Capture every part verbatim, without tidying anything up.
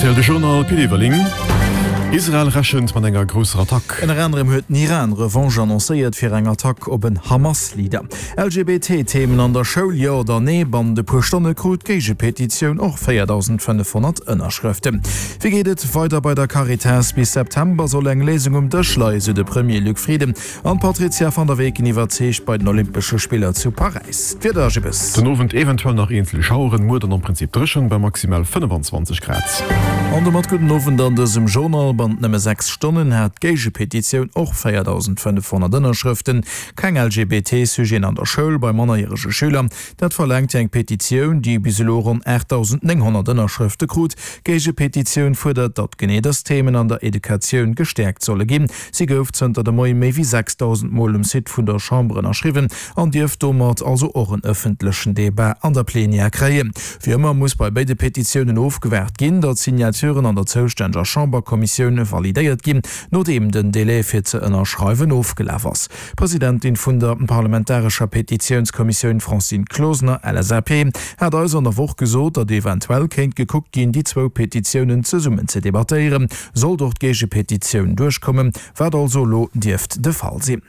R T L de Journal, Pit Everling. Israel rechent mat enger grousser Attack. Ënner anerem huet den Iran Revanche annoncéiert fir eng Attack op en Hamas-Leader. L G B T Themen an der Schoul, jo oder nee? Bannent e puer Stonne krut d'Géigepetitioun och véierdausendfënnefhonnert Ënnerschrëften. Wéi geet et weider bei der Caritas? Bis September soll eng Léisung um Dësch leien, sou de Premier Luc Frieden. An d'Patrizia van der Weken iwwerzeegt bei den Olympesche Spiller zu Paräis. D'Wieder, Jibbes. Den Owend eventuell nach eenzel Schaueren, muer dann am Prinzip dréchen bei maximal fënnefenzwanzeg Grad. An domat gudden Owend an dësem Journal. Bannent nëmme sechs Stonnen hat d'Géigepetitioun och véierdausendfënnefhonnert Ënnerschrëften. Keng L G B T-Sujeten an der Schoul bei mannerjärege Schüler. Dat verlaangt eng Petitioun, déi bis elo ronn aachtdausendnénghonnert Ënnerschrëfte krut. D'Géigepetitioun fuerdert, datt genee dës Themen an der Educatioun gestäerkt solle ginn. Si gouf zënter de Moie méi wéi sechsdausend Mol um Site vun der Chamber ënnerschriwwen an dierft domat also och en ëffentlechen Debat an der Plenière kréien. Wéi ëmmer muss bei béide Petitiounen ofgewaart ginn, datt d'Signaturen an der zoustänneger Chamberkommissioun validéiert ginn, nodeem den Delai fir ze ënnerschreiwen ofgelaf ass. D'Presidentin vun der parlamentarescher Petitiounskommissioun Francine Closener, L S A P, hat eis an der Woch gesot, datt eventuell kéint gekuckt ginn, déi zwou Petitiounen zesummen ze debattéieren, sollt och d'Géigepetitioun duerchkommen, wat also elo dierft de Fall sinn.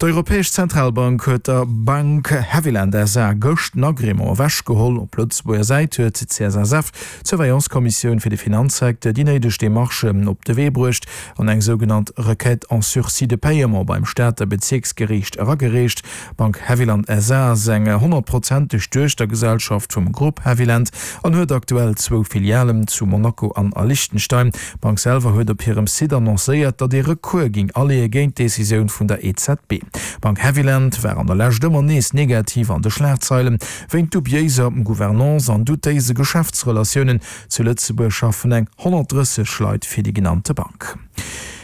D'Europäesch Zentralbank huet der Bank Havilland S A gëscht den Agrément ewechgeholl. Op Lëtzebuerger Säit huet d'C S S F, d'Surveillance-Kommissioun fir de Finanzsecteur, déi néideg Demarchen op de Wee bruecht an eng sougenannt Requête en sursis de paiement beim Stater Bezierksgeriicht eragereecht. D'Bank Havilland S A ass eng honnertprozenteg Duechtergesellschaft vum Grupp Havilland an huet aktuell zwou Filialen, zu Monaco an a Liechtenstein. D'Bank selwer huet op hirem Site annoncéiert, datt ee Recours géing aleeë géint d'Decisioun vun der E Z B. D'Bank Havilland war an der Lescht ëmmer nees negativ an de Schlagzeilen, wéint dubiéiser Gouvernance an doutéise Geschäftsrelatiounen. Zu Lëtzebuerg schaffen eng honnertdrësseg Leit fir déi genannte Bank.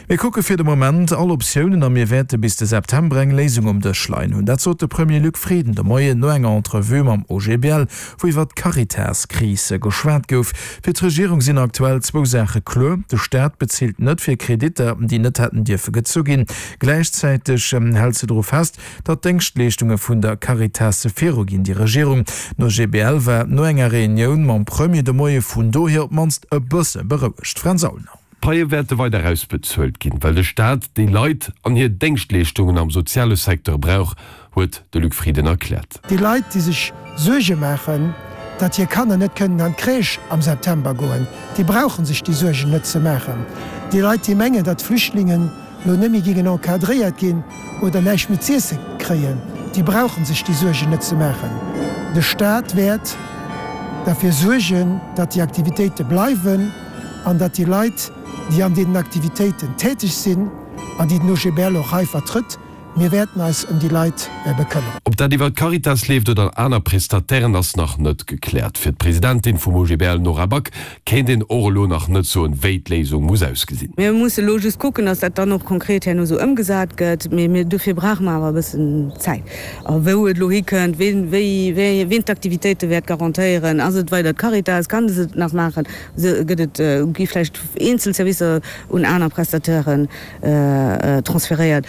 Mir kucke fir de Moment all Optiounen a mir wäerte bis de September eng Léisung um Dësch leien hunn. Dat sot de Premier Luc Frieden de Moien no enger Entrevue mam O G B L, wou iwwer d'Caritas-Kris geschwat gouf. Fir d'Regierung sinn aktuell zwou Saache kloer, De Staat bezilt net fir Kreditter, déi net hätten dierfe gezu ginn. Gläichzäiteg hält se dru fest, datt d'Déngschtleeschtunge vun der Caritas viruginn. Déi Regierung, den O G B L war no enger Reunioun mam Premier de Moie vun dohier op d'mannst e bësse berouegt. Fränz Aulner. D'Paie wäerte weider ausbezuelt ginn, well de Staat déi Leit an hir Déngschtleeschtungen am soziale Secteur brauch, huet de Luc Frieden erkläert. Déi Leit, déi sech Suerge maachen, datt hir Kanner net kënnen an d'Crèche am September goen, déi brauche sech déi Suergen net ze maachen. Déi Leit, déi mengen, datt d'Flüchtlingen elo net méi géingen encadréiert ginn oder näischt méi z'iesse kréien, déi brauche sech déi Suergen net ze maachen. De Staat wäert derfir suergen, datt déi Aktivitéite bleiwen an datt déi Leit, déi an deenen Aktivitéiten täteg sinn an déi den O G B L och hei vertrëtt, mir wäerten eis ëm déi Leit bekëmmeren. Ob dat iwwer d'Caritas leeft oder aner Prestatairen, ass nach net gekläert. Fir d'Presidentin vum O G B L Nora Back kéint een och elo nach net soen, wéi d'Léisung muss ausgesinn. Mir musse lo just kucken, dass dat dann och konkret herno sou ëmgesat gëtt, mee mir dofir brauche mer awer e bëssen Zäit. A wou et elo hikënnt, ween, wéi, wéi, ween d'Aktivitéite wäert garantéieren, ass et weider d'Caritas, kann se et nach maachen, gëtt et, gi vläicht eenzel Servicer un aner Prestatairen transferéiert.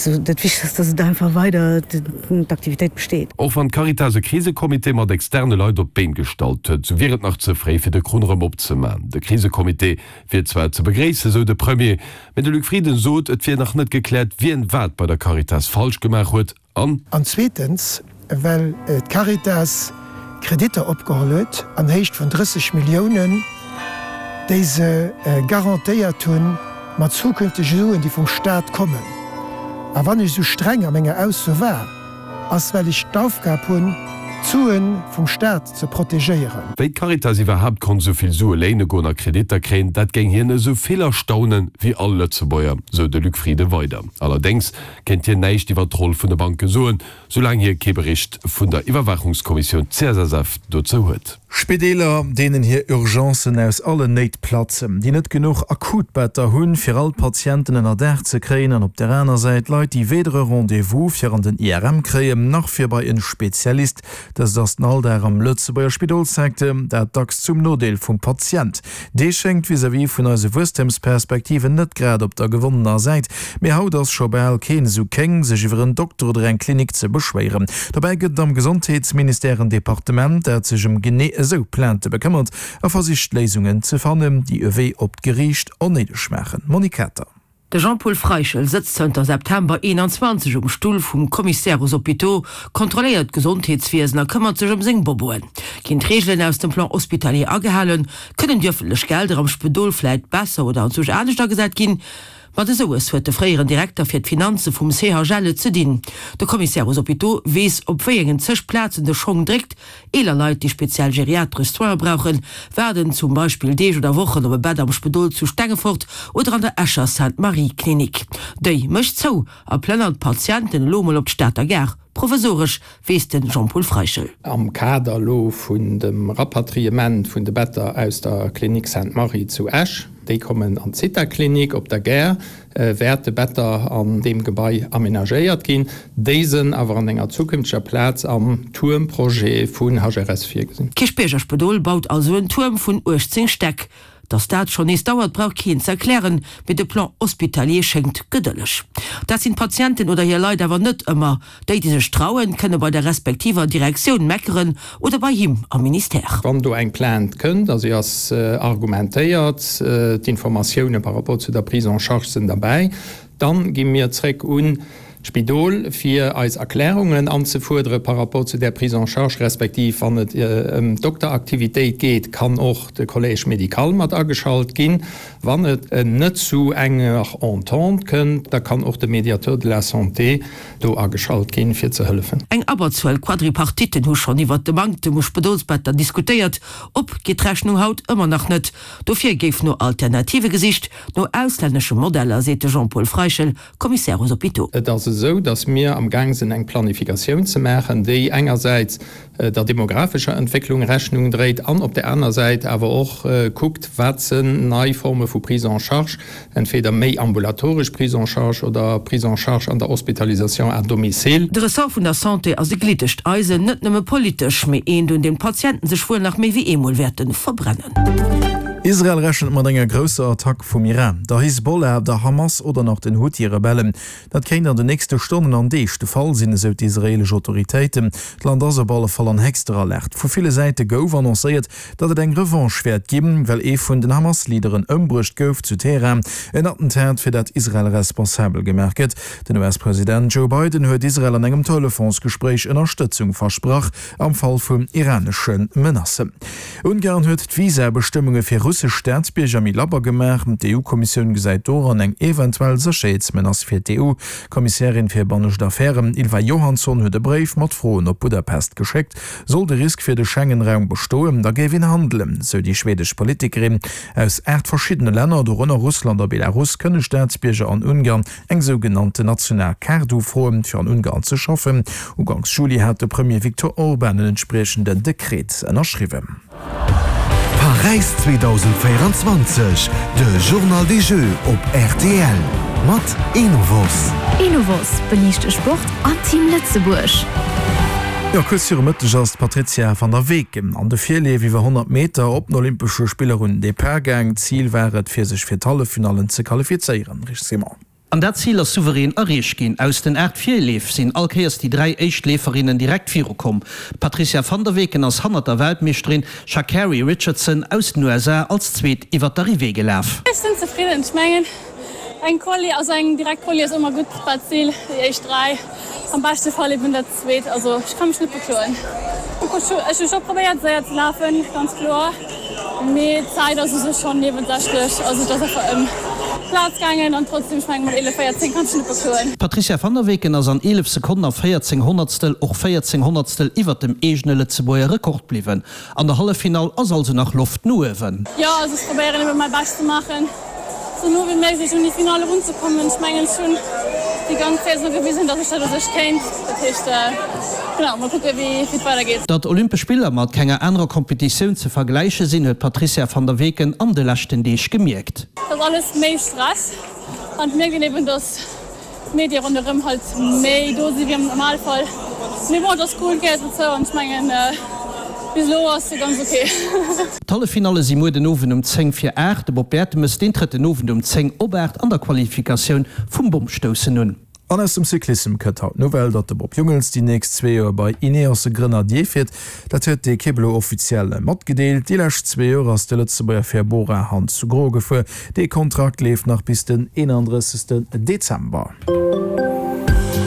Dat Wichtegst ass, dass et einfach weider d'Aktivitéit besteet. Och wann d'Caritas e Krisecomité mat externe Leit op d'Been gestallt huet, sou wier et nach ze fréi fir de Krunn erëm opzemaachen. De Krisecomité wier zwar ze begréissen, sou de Premier, mee de Luc Frieden sot, et wier nach net gekläert, wien wat bei der Caritas falsch gemaach huet an. An zweetens, well d'Caritas Kreditter opgeholl huet an Héicht vun drësseg Milliounen, déi se garantéiert hu mat zukünftege Suen, déi vum Staat kommen. A wann ech esou streng a menger Ausso war, ass well ech d'Aufgab hunn, d'Sue vum Staat ze protegéieren. Wéi d'Caritas iwwerhaapt konnt esou vill Sue léine goen a Kreditter kréien, dat géing hien esou vill erstaunen wéi all Lëtzebuerger, sou de Luc Frieden weider. Allerdéngs kéint hien näischt iwwer d'Roll vun de Banke soen, soulaang hie kee Bericht vun der Iwwerwaachungskommissioun C S S F dozou huet. Spideeler, deenen hir Urgencen aus allen Néit platzen, déi net genuch Akutbetter hunn, fir all d'Patienten ënner Daach ze kréien, an op der aner Säit Leit, déi weder e Rendez-vous fir an den I R M kréien, nach fir bei en Spezialist. Dëst ass den Alldag am Lëtzebuerger Spidolssecteur, dat dacks zum Nodeel vum Patient. Dee schéngt vis-à-vis vun eise Wuesstemsperspektiven net grad op der gewonnener Säit. Mee haut ass scho bal keen esou kéng, sech iwwer en Dokter oder eng Klinik ze beschwéieren. Dobäi gëtt et am Gesondheetsministère en Departement, dat sech ëm genee esou Plainte bekëmmert a versicht Léisungen ze fannen, déi e Wee op d'Geriicht onnéideg maachen. Monique Kater. De Jean-Paul Freischel sëtzt zënter September eenanzwanzeg um Stull vum Commissaire aux hôpitaux, kontrolléiert d'Gesondheetswiesen a këmmert sech ëm seng Boboen. Ginn d'Reegelen aus dem Plan hospitalier agehalen? Kënnen déi ëffentlech Gelder am Spidol vläit besser oder anzwousch anescht agesat ginn? Mat esoues huet de fréieren Direkter fir d'Finanze vum C H L et ze dinn. De Commissaire aux hôpitaux weess, op wéi engen zeg Plazen de Schong dréckt. Eeler Leit, déi speziell geriatresch Soine brauchen, waarden zum Beispill Deeg oder Wochen op e Bett am Spidol zu Stengefort oder an der Escher Sainte-Marie-Klinik. Déi mécht zou a plënnert d'Patienten elo mol op d'Stater Gare. Provisoresch, weess de Jean-Paul Freischel. Am Kader elo vun dem Rapatriement vun de Better aus der Klinik Sainte-Marie zu Esch, déi kommen an d'Zithaklinik op der Gare, wäerte Better an deem Gebai amenagéiert ginn. Déi sënn awer an enger zukünfteger Plaz am Tuermprojet vun H R S virgesinn. D'Kierchbierger Spidol baut also en Tuerm vun uechtzéng Stäck. Dass dat schonn nees dauert, brauch keen ze erklären, mee de Plan hospitalier schéngt gedëlleg. Dat sinn d'Patienten oder hir Leit awer net ëmmer. Déi, déi sech trauen, kënne bei der respektiver Direktioun meckeren oder bei him am Ministère. Wann do eng Plainte kënnt a si ass argumentéiert, d'Informatioune par rapport zu der Prise en charge sinn derbäi, dann gi mir zréck un d'Spidol fir eis Erklärungen anzefuerdere par rapport zu där Prise en charge, respektiv wann et ëm d'Dokteraktivitéit geet, kann och de Collège médical mat ageschalt ginn. Wann et net zu enger Entente kënnt, da kann och de Médiateur de la santé do ageschalt ginn, fir ze hëllefen. Eng Abberzuel Quadripartitten hu schonn iwwert de Manktem u Spidolsbetter diskutéiert. Op geet d'Rechnung haut ëmmer nach net. Dofir géif no Alternative gesicht, no auslännesche Modeller, seet de Jean-Paul Freischel, Commissaire aux hôpitaux. Et ass esou, datt mir am Gaang sinn eng Planifikatioun ze maachen, déi engersäits der demographescher Entwécklung Rechnung dréit an op där aner Säit awer och kuckt, wat sinn nei Forme vu Prise en charge, entweder méi ambulatoresch Prise en charge oder Prise en charge an der Hospitalisation à domicile. De Ressort vun der Santé ass e gliddegt Eisen, net nëmme politesch, mee eent, un deem d'Patienten sech wuel nach méi wéi eemol wäerte verbrennen. Israel rechent mat enger grousser Attack vum Iran, der Hisbollah, der Hamas oder nach den Huthi-Rebellen. Dat kéint an den nächste Stonnen an Deeg de Fall sinn, esou d'israeelesch Autoritéiten. D'Land ass op alle Fall an héchster Alerte. Vu ville Säite gouf annoncéiert, datt et eng Revanche wäert ginn, well ee vun den Hamas-Leaderen ëmbruecht gouf zu Teheran. En Attentat, fir dat Israel responsabel gemaach gëtt. Den U S-President Joe Biden huet Israel an engem Telefonsgespréich Ënnerstëtzung versprach am Fall vun iranesche Menacen. Ungarn huet d'Visabestëmmunge fir russesch Staatsbierger méi labber gemaach. D'E U-Kommissioun gesäit doran eng eventuell Sécherheetsmenace fir d'E U. D'Kommissärin fir bannescht Affären Ylva Johansson huet e Bréif mat Froen op Budapest geschéckt. Soll de Risk fir de Schengen-Raum bestoen, da géif een handelen, sou déi schwedesch Politikerin. Aus aacht verschiddene Länner, dorënner Russland a Belarus, kënne Staatsbierger an Ungarn eng sougenannten national Kaart ufroen, fir an Ungarn ze schaffen. Uganks Juli hat de Premier Viktor Orban en entspriechenden Dekret ënnerschriwwen. Paräis zweedausendvéierenzwanzeg, de Journal des Jeux op R T L mat Enovos. Enovos, beliicht de Sport an Team Lëtzebuerg. Jo, kuerz viru Mëtteg ass d'Patrizia van der Weken an de Virleef iwwer honnert Meter op den Olympesche Spiller un den Depart gaang. Zil war et, fir sech fir d'Halleffinallen ze qualifizéieren. Rich Simon. An dat Zil ass souverän erreecht ginn. Aus den aacht Virleef sinn all Kéiers déi dräi éischt Leeferinnen direkt virukomm. D'Patrizia van der Weken ass hannert der Weltmeeschterin Sha'Carri Richardson aus den U S A als Zweet iwwer d'Arrivée gelaf. Ech sinn zefridden. Ech mengen, eng Quali, also eng direkt Quali ass ëmmer gutt, dat Zil, déi éischt dräi, am beschte Fall eben dat Zweet. Also ech ka mech net bekloen. Ech hu scho probéiert séier ze lafen, ganz kloer, mee d'Zäit ass u sech schonn niewensächlech. Also et ass einfach ëm Plaz gaangen an trotzdem, ech mengen, mat eelef véierzéng kann ech net bekloen. D'Patrizia van der Weken ass an eelef Sekonnen a véierzéng Honnertstel och véierzéng Honnertstel iwwer dem eegene Lëtzebuerger Rekord bliwwen. An der Halleffinall ass also nach Loft no uewen. Jo, also ech probéieren ebe mäi Bescht ze maachen, sou no wéi méiglech un déi Finale erunzekommen. Ech mengen, ech hunn déi ganz Saison gewisen, datt ech dat u sech kéint. Dat heescht, genau, mol kucke wéi et weidergeet. Datt Olympesch Spiller mat kenger anerer Kompetitioun ze vergläiche sinn, huet d'Patrizia van der Weken an de leschten Deeg gemierkt. Et ass alles méi Stress an et mierkt een eben, datt d'Medie ronderëm halt méi do si wéi am Normalfall. Mee bon, et ass cool, et gehéiert dozou an ech mengen, bis elo ass se ganz ok. D'Halleffinalle si muer den Owend um zéng vir aacht. De Bob Bertemes, deen trëtt den Owend um zéng op aacht an der Qualifikatioun vum Bommstoussen un. An aus dem Cyclissem kënnt haut d'Nouvelle, datt de Bob Jungels déi nächst zwee Joer bei Ineos Grenadier fiert. Dat huet d'Ekipp elo offiziell matgedeelt. Déi lescht zwee Joer ass de Lëtzebuerger fir Bora Hansgrohe gefuer. Dee Kontrakt leeft nach bis den eenandrëssegsten Dezember.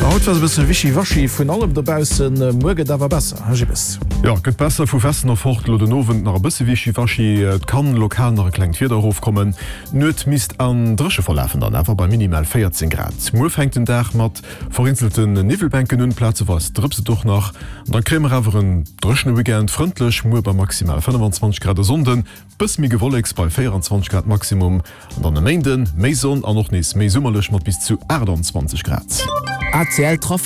Haut war se bësse wischiwaschi vun allem dobaussen, muer gëtt awer besser, Här Gibbes? Jo, et gëtt besser, vu Westen erfort elo den Owend nach e bësse wischiwaschi, et kann lokal nach e klengt Wieder erofkommen. D'Nuet misst an dréche verlafen, dann awer bei minimal véierzéng Grad. Muer fänkt den Dag mat vereenzelten Niwwelbänken un, plazeweis drëpst et och nach. An da kréie mer awer en dréchene Weekend, frëndlech muer bei maximal fënnefanzwanzeg Grad, e Sonnden bësse méi Gewolleks bei véierundzwanzeg Grad Maximum an dann e Méinden méi Sonn an och nees méi summerlech mat bis zu aachtanzwanzeg Grad. A C L Trafic.